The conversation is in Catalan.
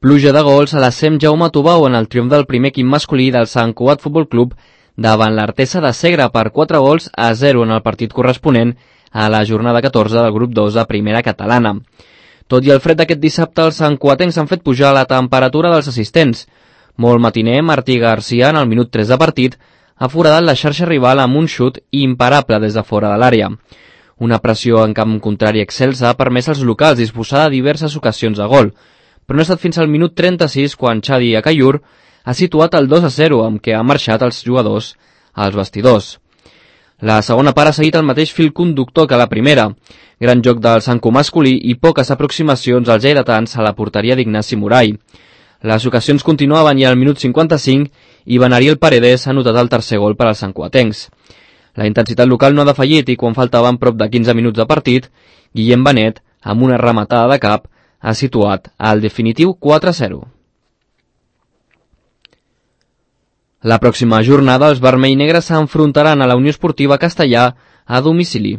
Pluja de gols a la SEM Jaume Tubau en el triomf del primer equip masculí del Sant Cugat Futbol Club davant l'Artesa de Segre per 4-0 en el partit corresponent a la jornada 14 del grup 2 de Primera Catalana. Tot i el fred d'aquest dissabte, els santcuatencs han fet pujar la temperatura dels assistents. Molt matiner, Martí Garcia, en el minut 3 de partit, ha foradat la xarxa rival amb un xut imparable des de fora de l'àrea. Una pressió en camp contrari excelsa ha permès als locals disposar de diverses ocasions a gol, però no ha estat fins al minut 36 quan Xadi Acayur ha situat el 2-0 amb què ha marxat els jugadors als vestidors. La segona part ha seguit el mateix fil conductor que la primera. Gran joc del Santcu masculí i poques aproximacions als lleidatans a la porteria d'Ignasi Morai. Les ocasions continuaven i al minut 55 Ivan Ariel Paredes ha anotat el tercer gol per als santcuatencs. La intensitat local no ha defallit i quan faltaven prop de 15 minuts de partit, Guillem Benet, amb una rematada de cap, ha situat el definitiu 4-0. La pròxima jornada els vermell-negres s'enfrontaran a la Unió Esportiva Castellà a domicili.